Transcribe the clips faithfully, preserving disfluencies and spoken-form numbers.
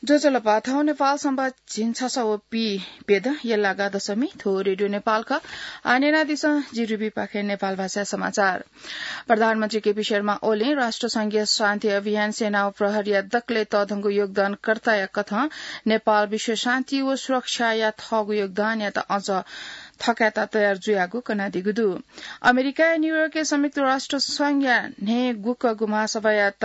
ज्वजलपा, थौं नेपाल संवत् झिंछसः व पीप्यदँ यल्लागा दशमी। थ्व रेडियो नेपाल खः। आः न्यनादिसँ, जि रुबीपाखें नेपाल भाषा समाचार। प्रधानमन्त्री केपी शर्मा ओलीं राष्ट्रसंघीय शान्ति अभियान, सेना व प्रहरीया दकलय् तःधंगु योगदानकर्ताया कथं नेपाल विश्व शान्ति व सुरक्षाया थःगु योगदानयात अझ थकायेत तयार जुयागु कनादीगु दु। अमेरिकाया न्यूयोर्कय् संयुक्त राष्ट्र संघया न्हय् गुकःगु महासभायात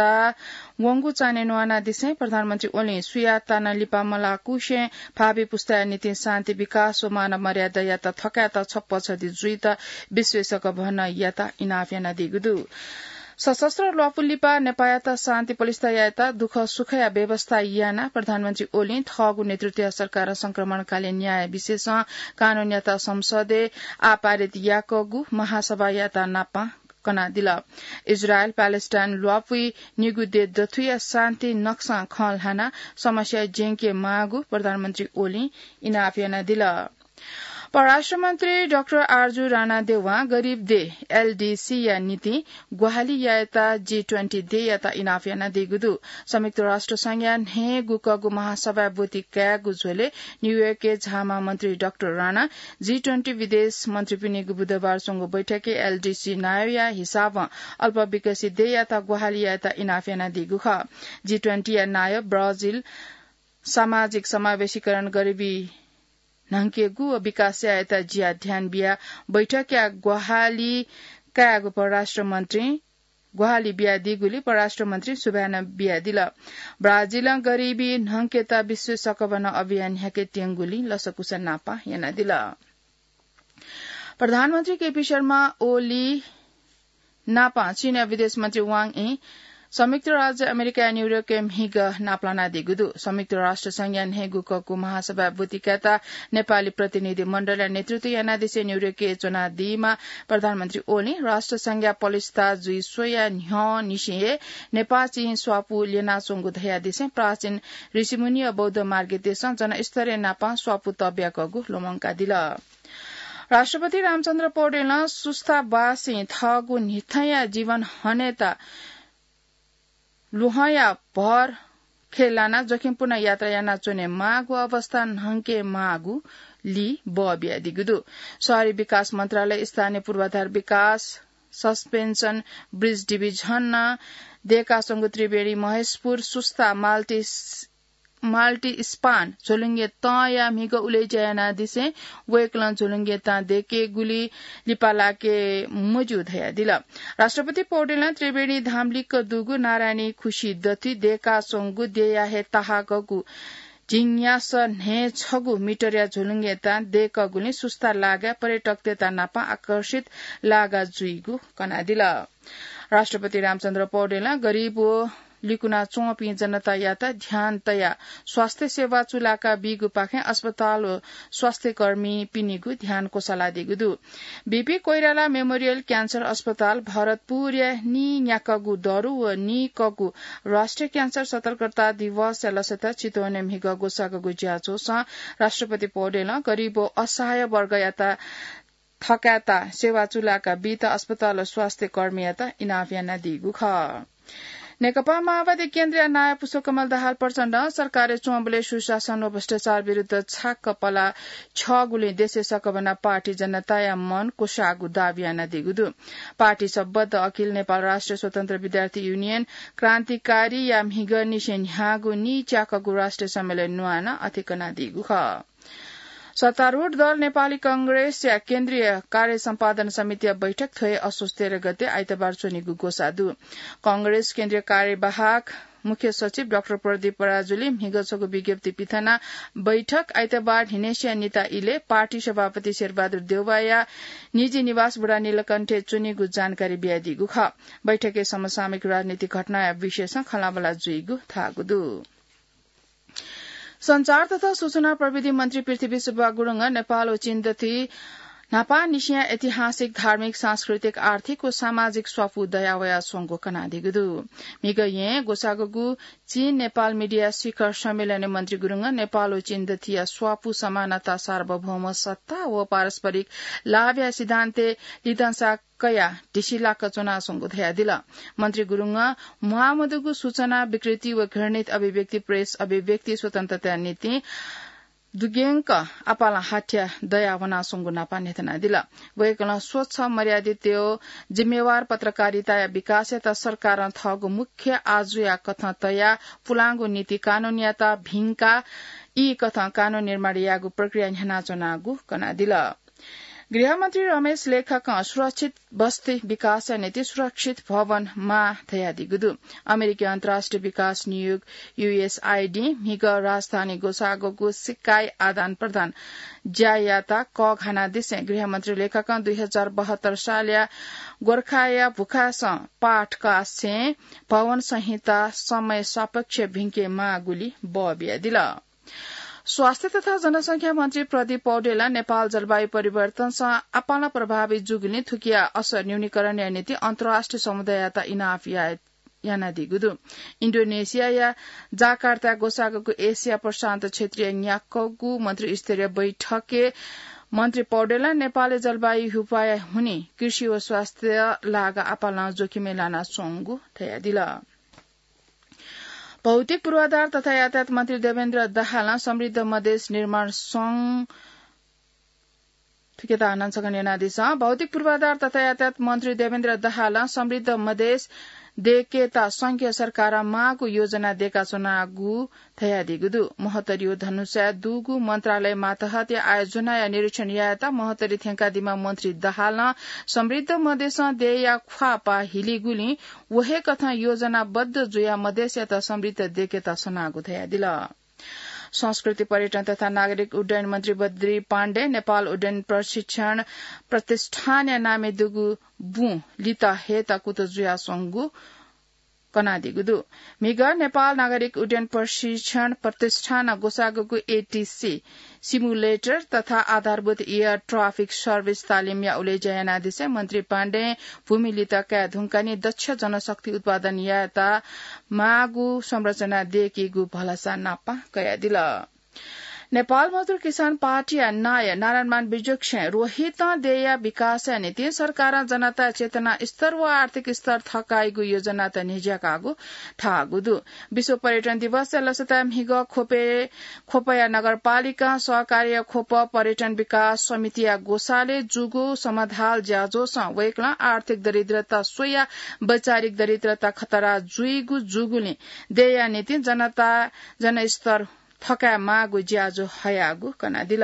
वंगु चान्हय् न्वानादिसें प्रधानमन्त्री ओलीं सुयात ताना लिपा मलाकुसें भावी पुस्ताया निंतिं शान्ति, विकास व मानव मर्यादायात थकायेत छप्पछति जुइत विश्वय् सकभनयात इनाप यानादीगु दु। सशस्त्र ल्वापु लिपा नेपाःयात शान्ति पलिस्था यायेत दुःख सुखया व्यवस्था यानाः प्रधानमन्त्री ओलीं थःगु नेतृत्वया सरकारं संक्रमणकालीन न्याय विशेषं कानूनयात संसदय् आः पारित याकःगु महासभायात नापं कनादिल। इजरायल प्यालेस्टाइन ल्वापुइ निगू देय् दथुया शान्ति नक्सां खँ ल्हानाः समस्या ज्यंके माःगु प्रधानमन्त्री ओलीं इनाप यानादिल। परराष्ट्र मन्त्री डाक्टर आरजु राणा देवां गरिब देय्, एलडीसी या निंतिं ग्वाहालि यायेत जी ट्वेन्टी देय्‌यात इनाप यानादीगु दु। संयुक्त राष्ट्र संघया न्हय् गुकःगु महासभाय् ब्वति कायेगु झ्वलय् न्यूयोर्कय् झाःम्ह मन्त्री डाक्टर राणां जी ट्वेन्टी विदेश मन्त्रीपिनिगु बुधबार स्वंगु बैठकय् एलडीसी नायःया हिसाबं अल्पविकसित देय्‌यात ग्वाहालि यायेत इनाप यानादीगु खः। जी ट्वेन्टीया नायः ब्राजिल सामाजिक समावेशीकरण, गरिबी न्हंकेगु व विकास यायेत ज्या ध्यान बियाः बैठकया ग्वाहालि कायेगु परराष्ट्र मन्त्रीं ग्वाहालि बियादीगुलिं परराष्ट्र मन्त्रीं सुभाय् नं बियादिल। ब्राजिलं गरिबी न्हंकेत विश्व सकभनं अभियान न्ह्याकेत्यंगुलिं लसकुस नापं यानादिल। प्रधानमन्त्री केपी शर्मा ओली नापं चीनया विदेश मन्त्री वाङ यी संयुक्त राज्य अमेरिकाया न्यूयोर्कय् म्हिगः नापलानादीगु दु। संयुक्त राष्ट्र संघया न्हय् गुकःगु महासभाय् ब्वति कायेत नेपाली प्रतिनिधि मण्डलया नेतृत्व यानादिसें न्यूयोर्कय् च्वनादीम्ह प्रधानमन्त्री ओलीं राष्ट्र संघया पलिस्था जुइ स्वयाः न्ह्यःनिसें हे नेपाः चीन स्वापू ल्यनाच्वंगु धयादिसें प्राचीन ऋषिमुनि व बौद्ध मार्गीय देशं जनस्तरय् नापं स्वापू तःब्याकःगु लुमंकादिल। राष्ट्रपति रामचन्द्र पौडेलं सुस्ताबासीं थःगु न्हिथंया जीवन हनेत लुहंया भर खँय् लानाः जोखिमपूर्ण यात्रा यानाच्वने माःगु अवस्था न्हंके माःगु ली बः बियादीगु दु। शहरी विकास मन्त्रालय, स्थानीय पूर्वाधार विकास, सस्पेन्सन ब्रिज डिभिजनं दय्‌काच्वंगु त्रिवेणी महेशपुर सुस्ता माल्टी माल्टी स्पान झोलुंगे तंया म्हिगः उलेज्या यानादिसें वय्‌कलं झोलुंगे तां दय्‌केगुली लिपा लाके मज्यू धयादिल। राष्ट्रपति पौडेलं त्रिवेणी धाम लिक्क दुगु नारायणी खुसी दथुइ दय्‌काच्वंगु देय्‌या हे ताहाकःगु झिंन्यासः न्हय् छगू मिटरया झोलुंगे तां दय्‌कःगुलिं सुस्ता लागाय् पर्यटकतय्‌त नापं आकर्षित लागा जुइगु कनादिल। राष्ट्रपति रामचन्द्र पौडेलं गरिब व लिकुना च्वंपिं जनतायात ध्यान तयाः स्वास्थ्य सेवा चूलाका बीगुपाखें अस्पताल व स्वास्थ्यकर्मीपिनिगु ध्यान क्वसालादीगु दु। बीपी कोइराला मेमोरियल क्यान्सर अस्पताल भरतपुरया नीन्याक्वःगु दरु व नीक्वःगु राष्ट्रिय क्यान्सर सतर्कता दिवसया लसताय् चितवनय् म्हिगः ग्वसाःगु ज्याझ्वलय् राष्ट्रपति पौडेलं गरिब व असहाय वर्गयात थकायेत सेवा चूलाका बीत अस्पताल व स्वास्थ्यकर्मीयात इनाप यानादीगु खः। नेकपा माओवादी केन्द्रया नायः पुष्पकमल दाहाल प्रचण्डं सरकारय् च्वंबलय् सुशासन व भ्रष्टाचार विरुद्ध छाक्क पला छ्यःगुलिं देशय् सकभनं पार्टी जनताया मन क्वसाःगु दाबी यानादीगु दु। पार्टी संबद्ध अखिल नेपाल राष्ट्रिय स्वतन्त्र विद्यार्थी युनियन क्रान्तिकारीया म्हिगःनिसें न्ह्याःगु नीच्याकःगु राष्ट्रिय सम्मेलन न्वानाः अथे कनादीगु खः। सत्तारूढ दल नेपाली कांग्रेसया केन्द्रीय कार्य सम्पादन समितिया बैठक थ्व हे असोज तेह्र गते आइतबार च्वनीगु ग्वसाः दु। कांग्रेस केन्द्रीय कार्यवाहक मुख्य सचिव डाक्टर प्रदीप पराजुली म्हिगः छगू विज्ञप्ति पिथनाः बैठक आइतबार न्हिनय्‌सिया निता इलय् पार्टी सभापति शेरबहादुर देउवाया निजी निवास बुढानीलकण्ठय् च्वनीगु जानकारी बियादीगु खः। बैठकय् समसामयिक राजनीतिक घटनाया विषयसं खँल्हाबल्हा जुइगु धाःगु दु। सञ्चार तथा सूचना प्रविधि मन्त्री पृथ्वी सुब्बा गुरुङं नेपाल व चीन दथुइ न्हापांनिसें ऐतिहासिक, धार्मिक, सांस्कृतिक, आर्थिक व सामाजिक स्वापू दयावया स्वंगु कनादीगु दु। म्हिगः यें ग्वसाःगु चीन नेपाल मिडिया शिखर सम्मेलनय् मन्त्री गुरुङं नेपाल व चीन दथिया स्वापू समानता, सार्वभौम सत्ता व पारस्परिक लाभया सिद्धान्तय् लिधंसा कयाः ढिसिलाक च्वनाच्वंगु धयादिल। मन्त्री गुरुङं म्वाःमदुगु सूचना, विकृति व घृणित अभिव्यक्ति प्रेस अभिव्यक्ति स्वतन्त्रताया निंतिं दुग्यंक आपालं हाथ्या दया वनाच्वंगु नापं न्ह्यथनादिल। वय्कलं स्वच्छ, मर्यादित व जिम्मेवार पत्रकारिताया विकासयात सरकारं थःगु मुख्य आजुया कथं तयाः पुलांगु नीति कानूनयात भिंकाः ई कथं कानून निर्माण यायेगु प्रक्रिया न्ह्यानाच्वनागु कनादिल। गृहमन्त्री रमेश लेखकं सुरक्षित बस्ती विकासया निंतिं सुरक्षित भवन माः धयादीगु दु। अमेरिकी अन्तर्राष्ट्रिय विकास नियोग, यूएसआइडी, म्हिगः राजधानी ग्वसाःगु सिक्का आदान प्रदान ज्यायात कःघानादिसें गृहमन्त्री लेखकं दुई हजार बहत्तर सालया गोर्खाया भुखासं पाठ कासें भवन संहिता समय सापेक्ष भिंके माःगुली बबियादिल। स्वास्थ्य तथा जनसंख्या मन्त्री प्रदीप पौडेलं नेपाल जलवायु परिवर्तनसं आपालं प्रभावित जूगुलिं थुकिया असर न्यूनीकरणया निंतिं अन्तर्राष्ट्रिय समुदाययात इनाप या-, यानादीगु दु। इन्डोनेसियाया जाकार्ता ग्वसाःगु एसिया प्रशान्त क्षेत्रीय न्याक्वःगु मन्त्री स्तरीय बैठकय् मन्त्री पौडेलं नेपालय् जलवायु हुपाया हुनिं कृषि व स्वास्थ्य लागा आपालं जोखिमय् लानाच्वंगु धयादिल। भौतिक पूर्वाधार तथा यातायात मन्त्री देवेन्द्र दाहालं समृद्ध मधेस निर्माण संघ थुकेत आनन्द सगन यानादिसँ। भौतिक पूर्वाधार तथा यातायात मन्त्री देवेन्द्र दाहालं समृद्ध मधेस देकेत संघीय सरकारं माःगु योजना देकाच्वनागु धयादीगु दु। महोत्तरी व धनुषाया दुगु मन्त्रालय मातहतया आयोजनाया निरीक्षण यायेत महोत्तरी थ्यंकादीम्ह मन्त्री दाहालं समृद्ध मधेसं देय्‌या ख्वाःपाः हिलीगुलिं व हे कथं योजनाबद्ध जुयाः मधेसयात समृद्ध देकेत सनागु धयादिल। संस्कृति, पर्यटन तथा नागरिक उड्डयन मन्त्री बद्री पाण्डे नेपाल उड्डयन प्रशिक्षण प्रतिष्ठानया नामय् दुगु बुँ लित हयेत कुतः जुयाच्वंगु कनादीगु दु। म्हिगः नेपाल नागरिक उड्डयन प्रशिक्षण प्रतिष्ठानं ग्वसाःगु एटीसी सिमुलेटर तथा आधारभूत एयर ट्राफिक सर्भिस तालिमया उलेज्या यानादिसें मन्त्री पाण्डें भूमि लित काये धुंकाः निं दक्ष जनशक्ति उत्पादन यायेत माःगु संरचना देकीगु भलसा नापं कयादिल। नेपाल मजदुर किसान पार्टीया नायः नारायणमान विचक्षणय् रोहितं देय्‌या विकासया निंतिं सरकारं जनताया चेतना स्तर व आर्थिक स्तर थकाइगु योजनात न्ह्यज्याकागु धाःगु दु। विश्व पर्यटन दिवसया लसताय् म्हिगः ख्वपय्, ख्वपया नगरपालिकां सहकार्य ख्वप पर्यटन विकास समितिया ग्वसालय् जूगु समाधाल ज्याझ्वलय् वय्‌कलं आर्थिक दरिद्रता स्वयाः वैचारिक दरिद्रता खतरा जुइगु जूगुलिं देय्‌या निंतिं जनता जनस्तर थकाये माःगु ज्याझ्वः हयागु कनादिल।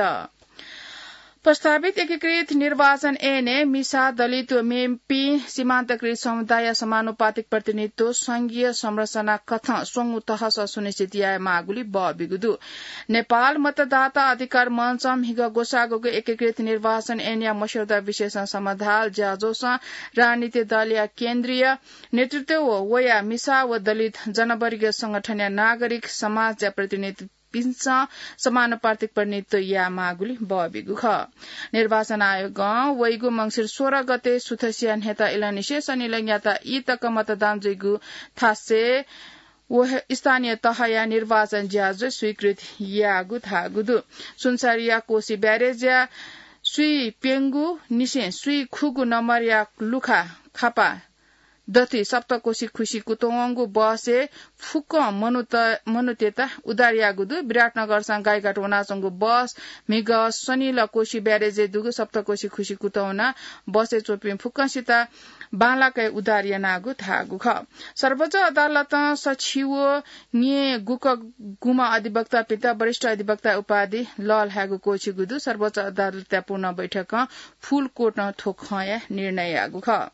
प्रस्तावित एकीकृत निर्वाचन ऐनय् मिसा, दलित व मेपिं सीमान्तकृत समुदायया समानुपातिक प्रतिनिधित्व संघीय संरचना कथं स्वंगू तहसं सुनिश्चित याये माःगुली बबिगु दु। नेपाल मतदाता अधिकार मञ्चं म्हिगः ग्वसाःगु एकीकृत निर्वाचन ऐनया मस्यौदा विषयसं समाधाल ज्याझ्वलय् राजनीतिक दलया केन्द्रीय नेतृत्व व वया मिसा व दलित जनवर्गीय संगठनया नागरिक समाजया प्रतिनिधिपिन्सं समानुपातिक प्रतिनिधित्व याये माःगुली बबिगु खः। निर्वाचन आयोगं वइगु मंसिर सोह्र गते सुथसिया न्ह्यत इलंनिसें सनिलंयात ई तक मतदान जुइगु थासय् व हे स्थानीय तहया निर्वाचन ज्याझ्वः स्वीकृत याःगु धाःगु दु। सुनसरीया कोशी ब्यारेजया स्वीइ प्यंगू निसें स्वीइ खुगू नम्बरया लुखा खापा दथुइ सप्तकोशी खुसि कुतुं वंगु बसय् फुक्कं मनूत, मनूतय्‌त उद्धार याःगु दु। विराटनगरसं गाईघाट वनाच्वंगु बस म्हिगः सनिल कोशी ब्यारेजय् दुगु सप्तकोशी खुसि कुतुं वनाः बसय् च्वंपिं फुक्कंसित बांलाक हे उद्धार यानागु धाःगु खः। सर्वोच्च अदालतं सछि व न्येगुक गुम्ह अधिवक्तापिन्त वरिष्ठ अधिवक्ता उपाधि लःल्हायेगु क्वःछिगु दु। सर्वोच्च अदालतया पूर्ण बैठकं फुल कोर्टं थ्व खँया निर्णय याःगु खः।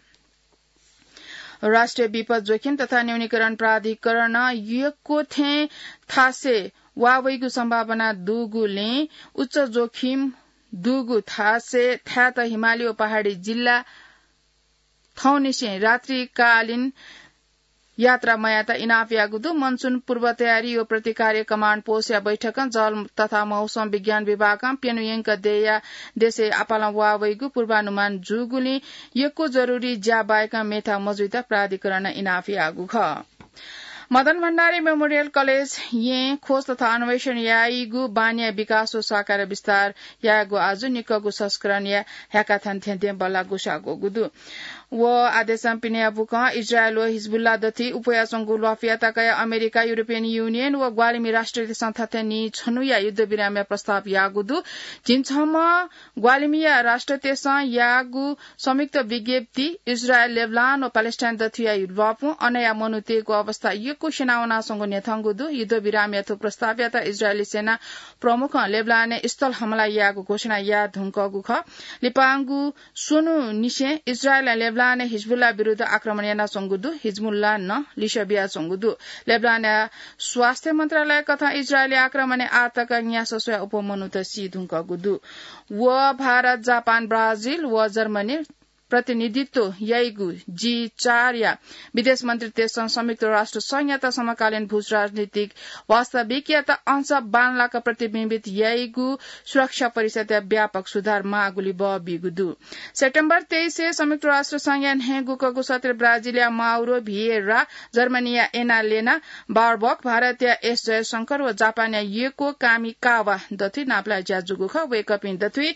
राष्ट्रिय विपद जोखिम तथा न्यूनीकरण प्राधिकरणं यक्व थें थासय् वा वइगु सम्भावना दुगुलिं उच्च जोखिम दुगु थासय् थाय्‌त हिमाली व पहाडी जिल्ला थौंनिसें रात्रिकालीन यात्रा मयात इनाप याःगु दु। मनसुन पूर्व तयारी व प्रतिकार कमाण्ड पोस्टया बैठकं जल तथा मौसम विज्ञान विभागं प्यन्हु यंक देया देशय् आपालं वाःवइगु पूर्वानुमान जूगुलिं यक्व जरुरी ज्या बाहेकं मेथा मजुइत प्राधिकरणं इनाप याःगु खः। मदन भण्डारी मेमोरियल कलेज यें खोज तथा अन्वेषण याइगु बानिया विकास व सहकार विस्तार यायेगु आजु निक्वःगु संस्करणया ह्याकाथन थें दें बल्लाः ग्वसाः ग्वःगु दु। व आदेशं पिनेया बुकं इजरायल व हिजबुल्ला दथुइ उपुयाच्वंगु ल्वापुयात कयाः अमेरिका, युरोपियन युनियन व ग्वालिमि राष्ट्रतय्सं थथे नीछन्हुया युद्धविरामया प्रस्ताव याःगु दु। झिंछम्ह ग्वालिमिया राष्ट्रतय्सं याःगु संयुक्त विज्ञप्ति इजरायल, लेबनान व प्यालेस्टाइन दथुया ल्वापुं अनया मनूतय्गु अवस्था यक्व स्यनावनाच्वंगु न्ह्यथंगु दु। युद्धविरामया थ्व प्रस्तावयात इजरायली सेना प्रमुखं लेबनानय् स्थल हमला याःगु घोषणा याये धुंकूगु खः। लिपांगु स्वन्हुनिसें इजरायलं लेबनानय् हिजबुल्ला विरुद्ध आक्रमण यानाच्वंगु दु। हिजबुल्लां नं लिसः बियाच्वंगु दु। लेबनानया स्वास्थ्य मन्त्रालय कथं इजरायली आक्रमणय् आःतक न्यासः स्वयाः अप्वः मनूत सी धुंकूगु दु। व भारत, जापान, ब्राजिल व जर्मनी प्रतिनिधित्व याइगु जी चार या विदेश मन्त्रीतय्सं संयुक्त राष्ट्र संघयात समकालीन भूराजनीतिक वास्तविकतायात अंश बांलाक प्रतिबिम्बित याइगु सुरक्षा परिषदया व्यापक सुधार माःगुली बः बीगु दु। सेप्टेम्बर तेइसय् संयुक्त राष्ट्र संघया न्हय्गुकःगु सत्र ब्राजिलया माउरो भिएरा, जर्मनीया एनालेना बारबक, भारतया एस जयशंकर व जापानया युकियो कामिकावा दथुइ नापलाये ज्या जूगु खः। वय्कःपिं दथुइ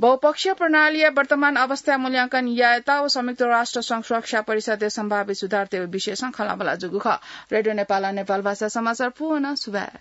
बहुपक्षीय प्रणालीया वर्तमान अवस्था मूल्यांकन यायेत व संयुक्त राष्ट्र संघ सुरक्षा परिषदय् सम्भाव्य सुधारतय् विषयसं खँल्हाबल्हा जूगु खः। रेडियो नेपालं नेपाल भाषा समाचार पूवं सुभाय्।